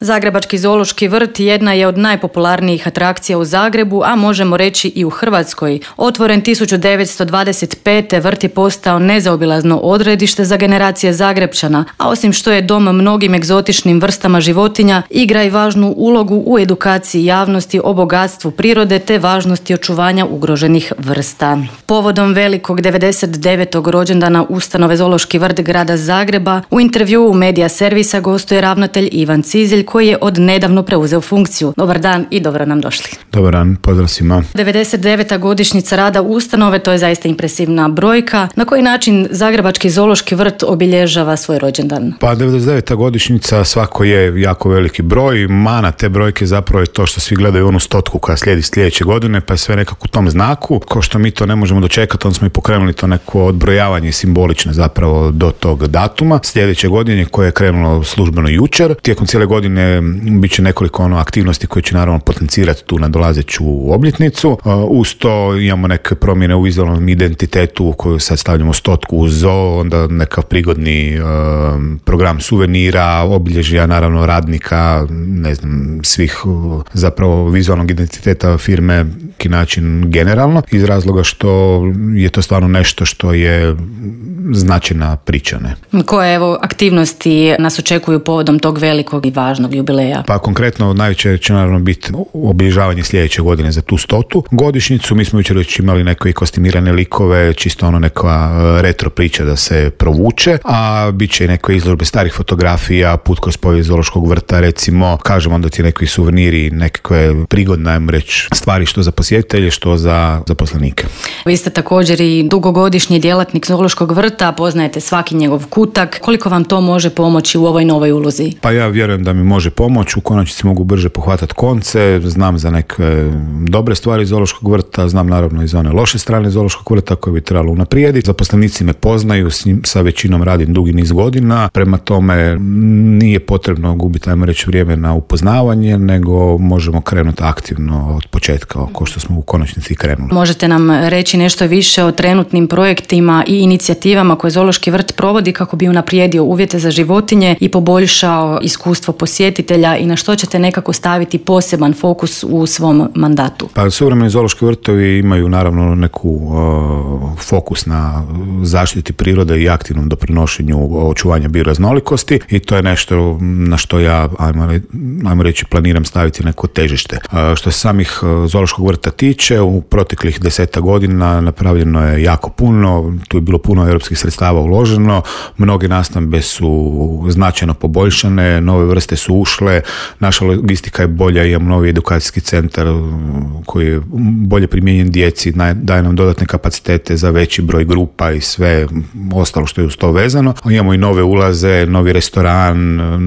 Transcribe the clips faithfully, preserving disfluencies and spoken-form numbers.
Zagrebački zoološki vrt jedna je od najpopularnijih atrakcija u Zagrebu, a možemo reći i u Hrvatskoj. Otvoren tisuću devetsto dvadeset pete. vrt je postao nezaobilazno odredište za generacije Zagrepčana, a osim što je dom mnogim egzotičnim vrstama životinja, igra i važnu ulogu u edukaciji javnosti o bogatstvu prirode te važnosti očuvanja ugroženih vrsta. Povodom velikog devedeset devetog rođendana ustanove Zoološki vrt grada Zagreba, u intervjuu Medija servisa gostuje ravnatelj Ivan Cizelj, koji je od nedavno preuzeo funkciju. Dobar dan i dobro nam došli. Dobar dan, pozdrav svima. devedeset deveta godišnjica rada ustanove, to je zaista impresivna brojka. Na koji način Zagrebački zoološki vrt obilježava svoj rođendan? Pa devedeset deveta godišnjica svako je jako veliki broj. Mana te brojke zapravo je to što svi gledaju onu stotku koja slijedi sljedeće godine, pa je sve nekako u tom znaku. Ko što mi to ne možemo dočekati, onda smo i pokrenuli to neko odbrojavanje simbolično zapravo do tog datuma. Sljedeće godine koje je krenulo službeno jučer. Tijekom cijele godine bit će nekoliko ono aktivnosti koje će naravno potencirati tu nadolazeću obljetnicu. Uz to imamo neke promjene u vizualnom identitetu u koju sad stavljamo stotku u zoo, onda nekav prigodni uh, program suvenira, obilježja naravno radnika, ne znam, svih uh, zapravo vizualnog identiteta firme ki način generalno, iz razloga što je to stvarno nešto što je značajna priča. Ne? Koje evo aktivnosti nas očekuju povodom tog velikog i važnog jubileja? Pa konkretno najveće će naravno biti obilježavanje sljedeće godine za tu stotu godišnjicu. Mi smo jučer već imali neke kostimirane likove, čisto ono neka retro priča da se provuče, a bit će i neke izložbe starih fotografija, put kroz povijest zoološkog vrta, recimo, kažemo onda ti neki suveniri, nekakve prigodne, ajmo reći, stvari što za posjetitelje, što za zaposlenike. Vi ste također i dugogodišnji djelatnik zoološkog vrta, poznajete svaki njegov kutak. Koliko vam to može pomoći u ovoj novoj ulozi? Pa ja vjerujem da mi može pomoći, u konačnici mogu brže pohvatati konce, znam za neke dobre stvari zoološkog vrta, znam naravno i za one loše strane zoološkog vrta koje bi trebalo unaprijediti. Zaposlenici me poznaju, s njim, sa većinom radim dugi niz godina, prema tome nije potrebno gubiti, ajmo reći, vrijeme na upoznavanje, nego možemo krenuti aktivno od početka, ko što smo u konačnici krenuli. Možete nam reći nešto više o trenutnim projektima i inicijativama koje Zoološki vrt provodi kako bi unaprijedio uvjete za životinje i poboljšao iskustvo posjetitelja i na što ćete nekako staviti poseban fokus u svom mandatu? Pa suvremeni zoološki vrtovi imaju naravno neku uh, fokus na zaštiti prirode i aktivnom doprinošenju očuvanja bioraznolikosti i to je nešto na što ja, ajmo, ajmo reći, planiram staviti neko težište. Uh, što se samih uh, zoološkog vrta tiče, u proteklih deseta godina napravljeno je jako puno, tu je bilo puno europskih sredstava uloženo, mnoge nastambe su značajno poboljšane, nove vrste su ušle, naša logistika je bolja, imamo novi edukacijski centar koji je bolje primijenjen djeci, daje nam dodatne kapacitete za veći broj grupa i sve ostalo što je uz to vezano. Imamo i nove ulaze, novi restoran,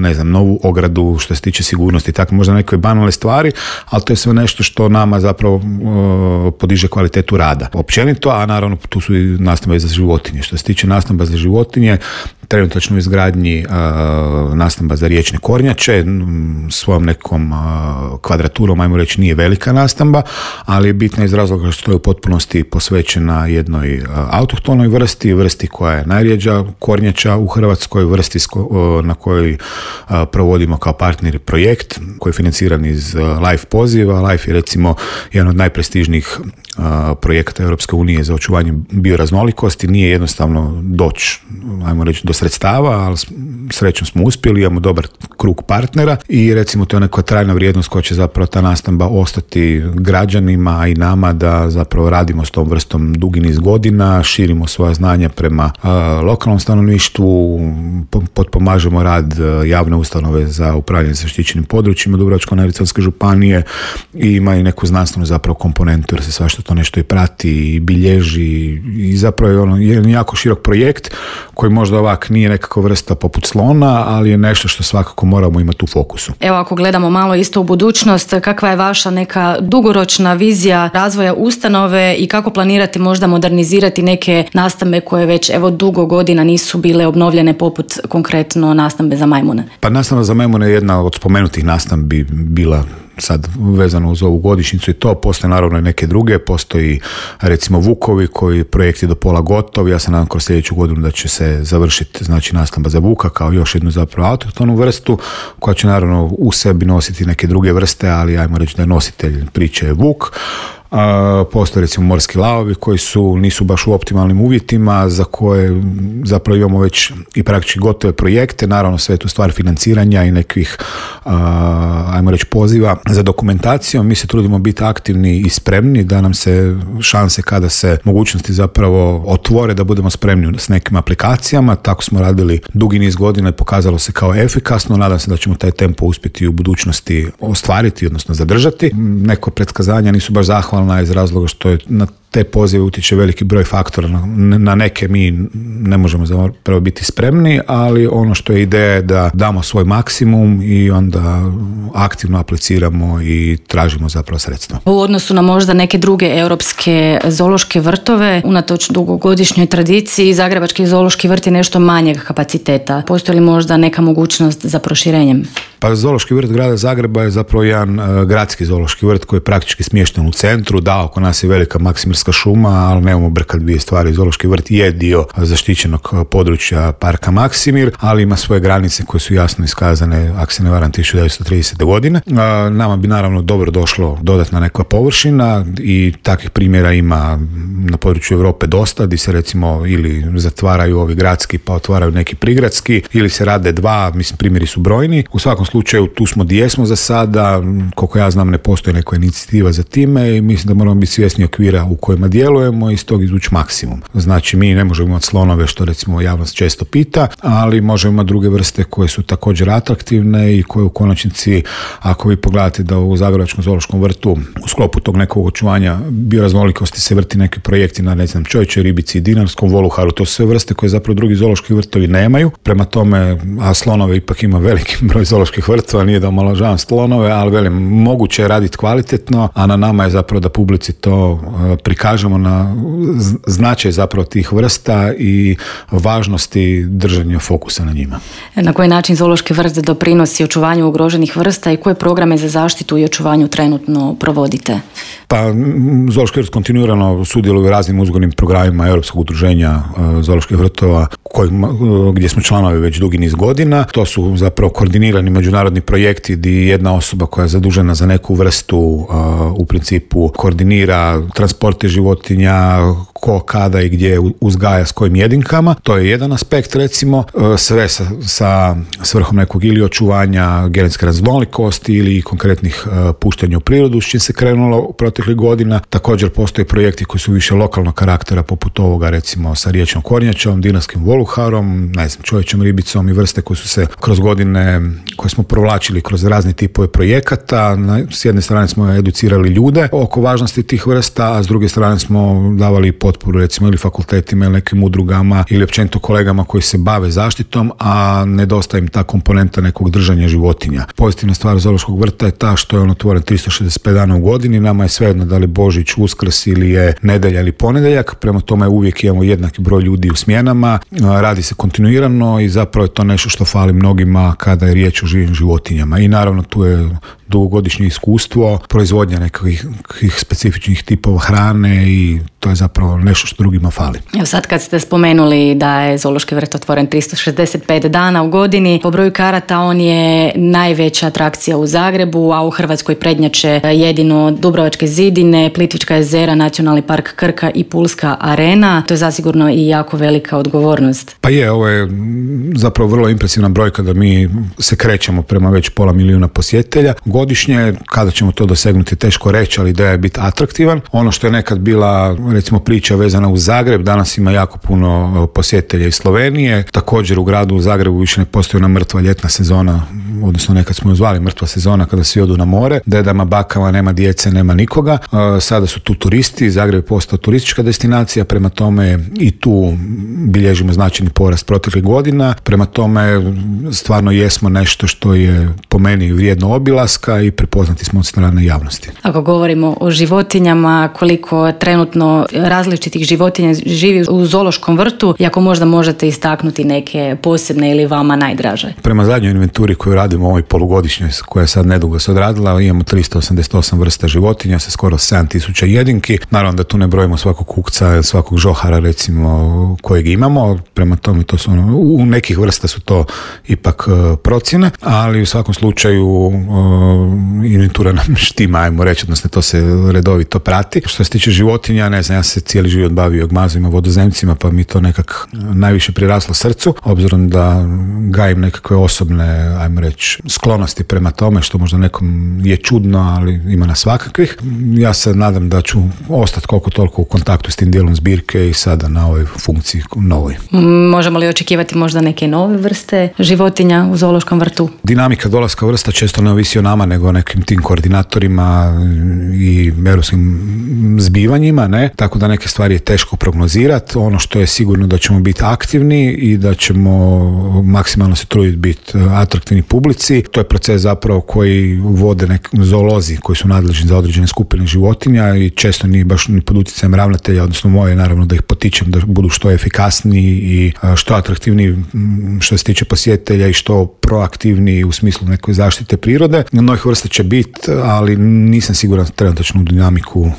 ne znam, novu ogradu što se tiče sigurnosti, tako možda neke banalne stvari, ali to je sve nešto što nama zapravo uh, podiže kvalitetu rada. Općenito, a naravno tu su i nastambe za životinje. Što se tiče nastamba za životinje, trenutačno u izgradnji uh, nastamba za riječne kornjače, svojom nekom uh, kvadraturom, ajmo reći, nije velika nastamba, ali je bitna iz razloga što je u potpunosti posvećena jednoj uh, autohtonoj vrsti, vrsti koja je najrjeđa kornjača u Hrvatskoj, vrsti sko, uh, na kojoj uh, provodimo kao partneri projekt koji je financiran iz uh, LIFE poziva. LIFE je recimo jedan od najprestižnijih uh, projekata Europske unije za očuvanje bioraznolikosti. Nije jednostavno doći, ajmo reći, do sredstava, ali srećom smo uspjeli, imamo dobar krug partnera i recimo to je neka trajna vrijednost koja će zapravo ta nastamba ostati građanima i nama da zapravo radimo s tom vrstom dugi niz godina, širimo svoja znanja prema uh, lokalnom stanovništvu, potpomažemo rad uh, javne ustanove za upravljanje zaštićenim područjima Dubrovačko-neretvanske županije i ima i neku znanstvenu zapravo komponentu jer se svašta to nešto i prati i bilježi i zapravo je ono jedan jako širok projekt koji možda ovak nije nekakva vrsta poput slona, ali je nešto što svakako moramo imati u fokusu. Evo, ako gledamo malo isto u budućnost, kakva je vaša neka dugoročna vizija razvoja ustanove i kako planirate možda modernizirati neke nastambe koje već evo dugo godina nisu bile obnovljene, poput konkretno nastambe za majmune? Pa nastamba za majmune je jedna od spomenutih nastambi bila sad vezano uz ovu godišnjicu i to, postoje naravno i neke druge, postoji recimo Vukovi koji projekt je do pola gotov, ja se nadam kroz sljedeću godinu da će se završiti znači nastamba za vuka kao još jednu zapravo autohtonu vrstu koja će naravno u sebi nositi neke druge vrste, ali ajmo reći da je nositelj priče je vuk. Uh, postoje recimo morski lavovi koji su, nisu baš u optimalnim uvjetima, za koje zapravo imamo već i praktički gotove projekte, naravno sve je tu stvar financiranja i nekih uh, ajmo reći poziva za dokumentacijom. Mi se trudimo biti aktivni i spremni da nam se šanse kada se mogućnosti zapravo otvore da budemo spremni s nekim aplikacijama. Tako smo radili dugi niz godina i pokazalo se kao efikasno. Nadam se da ćemo taj tempo uspjeti u budućnosti ostvariti, odnosno zadržati. Neko predskazanja nisu baš zahvalna iz razloga što je na te pozive utječe veliki broj faktora. Na neke mi ne možemo zapravo biti spremni, ali ono što je ideja je da damo svoj maksimum i onda aktivno apliciramo i tražimo zapravo sredstva. U odnosu na možda neke druge europske zoološke vrtove, unatoč dugogodišnjoj tradiciji, Zagrebački zoološki vrt je nešto manjeg kapaciteta. Postoji li možda neka mogućnost za proširenjem? Pa zoološki vrt grada Zagreba je zapravo jedan uh, gradski zoološki vrt koji je praktički smješten u centru. Da, oko nas je velika Maksimirska šuma, ali nemamo brkat dvije stvari. Zoološki vrt je dio zaštićenog područja parka Maksimir, ali ima svoje granice koje su jasno iskazane, ako se ne varam, tisuću devetsto tridesete godine. Uh, nama bi naravno dobro došlo dodatna neka površina i takvih primjera ima na području Europe dosta, gdje se recimo ili zatvaraju ovi gradski pa otvaraju neki prigradski, ili se rade dva, mislim primjeri su brojni. U svakom slučaju tu smo gdje smo za sada, koliko ja znam ne postoji neka inicijativa za time i mislim da moramo biti svjesni okvira u kojima djelujemo i iz tog izvući maksimum. Znači mi ne možemo imati slonove što recimo javnost često pita, ali možemo imati druge vrste koje su također atraktivne i koje u konačnici, ako vi pogledate da u Zagrebačkom zoološkom vrtu u sklopu tog nekog očuvanja bioraznolikosti se vrti neki projekti na ne znam čovječoj ribici i dinarskom voluharu, to su sve vrste koje zapravo drugi zoološki vrtovi nemaju. Prema tome, a slonove ipak ima veliki broj zooloških vrtova, nije da omalovažavam slonove, ali velim, moguće je raditi kvalitetno, a na nama je zapravo da publici to prikažemo na značaj zapravo tih vrsta i važnosti držanja fokusa na njima. Na koji način zoološki vrt doprinosi očuvanju ugroženih vrsta i koje programe za zaštitu i očuvanju trenutno provodite? Pa zoološki vrt kontinuirano sudjeluje u raznim uzgojnim programima Europskog udruženja zooloških vrtova kojima, gdje smo članovi već dugi niz godina. To su zapravo koordinirani međunarodni projekti gdje jedna osoba koja je zadužena za neku vrstu uh, u principu koordinira transporte životinja, ko, kada i gdje uzgaja s kojim jedinkama. To je jedan aspekt recimo, uh, sve sa, sa svrhom nekog ili očuvanja genetske raznolikosti ili konkretnih uh, puštanja u prirodu s čim se krenulo u proteklih godina. Također postoje projekti koji su više lokalnog karaktera poput ovoga recimo sa riječnom kornjačom, dinarskim voluharom, ne znam, čovječom ribicom i vrste koje su se kroz godine koje smo provlačili kroz razne tipove projekata. S jedne strane smo educirali ljude oko važnosti tih vrsta, a s druge strane smo davali potporu recimo ili fakultetima ili nekim udrugama ili općenito kolegama koji se bave zaštitom, a nedostaje im ta komponenta nekog držanja životinja. Pozitivna stvar zoološkog vrta je ta što je on otvoren tristo šezdeset pet dana u godini, nama je svejedno da li Božić, Uskrs ili je nedjelja ili ponedjeljak, prema tome uvijek imamo jednaki broj ljudi u smjenama, radi se kontinuirano i zapravo je to nešto što fali mnogima kada je riječ o živim životinjama. I naravno tu je dugogodišnje iskustvo, proizvodnja nekih specifičnih tipova hrane i to je zapravo nešto što drugima fali. Evo sad kad ste spomenuli da je zoološki vrt otvoren tristo šezdeset pet dana u godini, po broju karata on je najveća atrakcija u Zagrebu, a u Hrvatskoj prednjače jedino Dubrovačke zidine, Plitvička jezera, Nacionalni park Krka i Pulska arena. To je zasigurno i jako velika odgovornost. Pa je, ovo je zapravo vrlo impresivna brojka da mi se krećemo prema već pola milijuna posjetitelja godišnje. Kada ćemo to dosegnuti teško reći, ali ideja je biti atraktivan. Ono što je nekad bila recimo priča vezana uz Zagreb, danas ima jako puno posjetitelja iz Slovenije. Također u gradu u Zagrebu više ne postoji ona mrtva ljetna sezona, odnosno nekad smo ju zvali mrtva sezona kada svi odu na more, dedama, bakama, nema djece, nema nikoga. Sada su tu turisti, Zagreb je postao turistička destinacija, prema tome i tu bilježimo značajni porast proteklih godina. Prema tome stvarno jesmo nešto što je po meni vrijedno obilaska mačaka i prepoznati smo od strane javnosti. Ako govorimo o životinjama, koliko trenutno različitih životinja živi u zoološkom vrtu i ako možda možete istaknuti neke posebne ili vama najdraže? Prema zadnjoj inventuri koju radimo u ovoj polugodišnjoj, koja je sad nedugo se odradila, imamo tristo osamdeset osam vrsta životinja sa skoro sedam tisuća jedinki. Naravno da tu ne brojimo svakog kukca, svakog žohara recimo kojeg imamo, prema tome to su ono, u nekih vrsta su to ipak uh, procjene, ali u svakom slučaju uh, inventura nam štima, ajmo reći, odnosno to se redovito prati. Što se tiče životinja, ne znam, ja se cijeli život bavio gmazima, vodozemcima, pa mi to nekak najviše priraslo srcu, obzirom da gajim nekakve osobne, ajmo reći, sklonosti prema tome, što možda nekom je čudno, ali ima nas svakakvih. Ja se nadam da ću ostati koliko toliko u kontaktu s tim dijelom zbirke i sada na ovoj funkciji novoj. Možemo li očekivati možda neke nove vrste životinja u zoološkom vrtu? Dinamika dolaska vrsta često ne ovisi o nama, nego o nekim tim koordinatorima i europskim zbivanjima, ne? Tako da neke stvari je teško prognozirati. Ono što je sigurno da ćemo biti aktivni i da ćemo maksimalno se truditi biti atraktivni publici. To je proces zapravo koji vode neki zoolozi koji su nadležni za određene skupine životinja i često ni baš ni pod utjecajem ravnatelja, odnosno moje naravno da ih potičem da budu što efikasniji i što atraktivniji što se tiče posjetitelja i što proaktivniji u smislu neke zaštite prirode. Novih vrsta će biti, ali nisam siguran trenutačnu dinamiku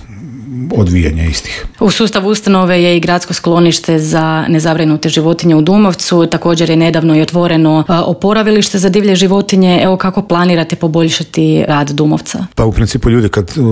odvijanja istih. U sustavu ustanove je i gradsko sklonište za nezabrinute životinje u Dumovcu, također je nedavno i otvoreno oporavilište za divlje životinje. Evo kako planirate poboljšati rad Dumovca? Pa u principu ljudi kad uh,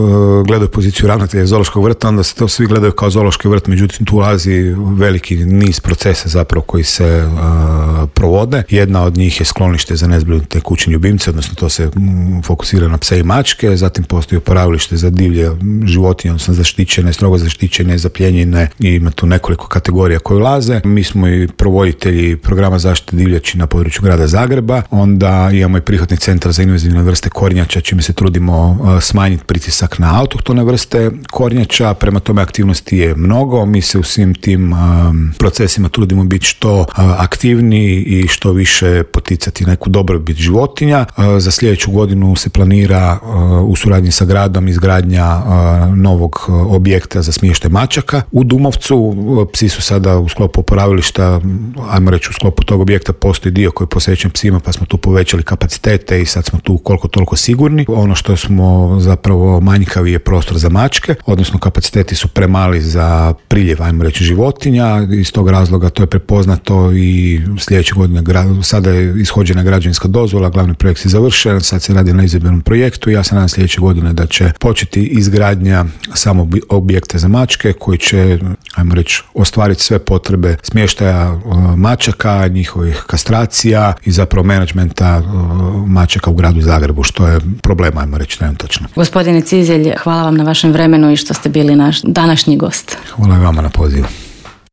gledaju poziciju ravnatelja zoološkog vrta, onda se to svi gledaju kao zoološki vrt, međutim tu ulazi veliki niz procesa zapravo koji se uh, provode. Jedna od njih je sklonište za nezbrinute kućne ljubimce, odnosno to se um, fokusira na pse i mačke, zatim postoji oporavilište za divlje životinje, odnosno zaštićene, strogo zaštićene, zapljenjene i ima tu nekoliko kategorija koje ulaze. Mi smo i provoditelji programa zaštite divljači na području grada Zagreba, onda imamo i prihvatni centar za invazivne vrste kornjača, čime se trudimo smanjiti pritisak na autohtone vrste kornjača, prema tome aktivnosti je mnogo, mi se u svim tim um, procesima trudimo biti što uh, aktivniji i što više poticati neku dobrobit životinja. Uh, za sljedeću godinu se planira uh, u suradnji sa gradom izgradnja uh, novog uh, objekta za smještaj mačaka u Dumovcu. Psi su sada u sklopu oporavilišta, ajmo reći u sklopu tog objekta postoji dio koji je posvećen psima, pa smo tu povećali kapacitete i sad smo tu koliko toliko sigurni. Ono što smo zapravo manjkavi je prostor za mačke, odnosno kapaciteti su premali za priljev, ajmo reći, životinja. Iz tog razloga to je prepoznato i sljedeće godine sada je ishođena građevinska dozvola, glavni projekt je završen, sad se radi na izvedbenom projektu i ja se nadam sljedeće godine da će početi izgradnja samo objekte za mačke koji će, ajmo reći, ostvariti sve potrebe smještaja mačaka, njihovih kastracija i zapravo menadžmenta mačaka u gradu Zagrebu, što je problem, ajmo reći, trenutačno. Gospodine Cizelj, hvala vam na vašem vremenu i što ste bili naš današnji gost. Hvala i vama na pozivu.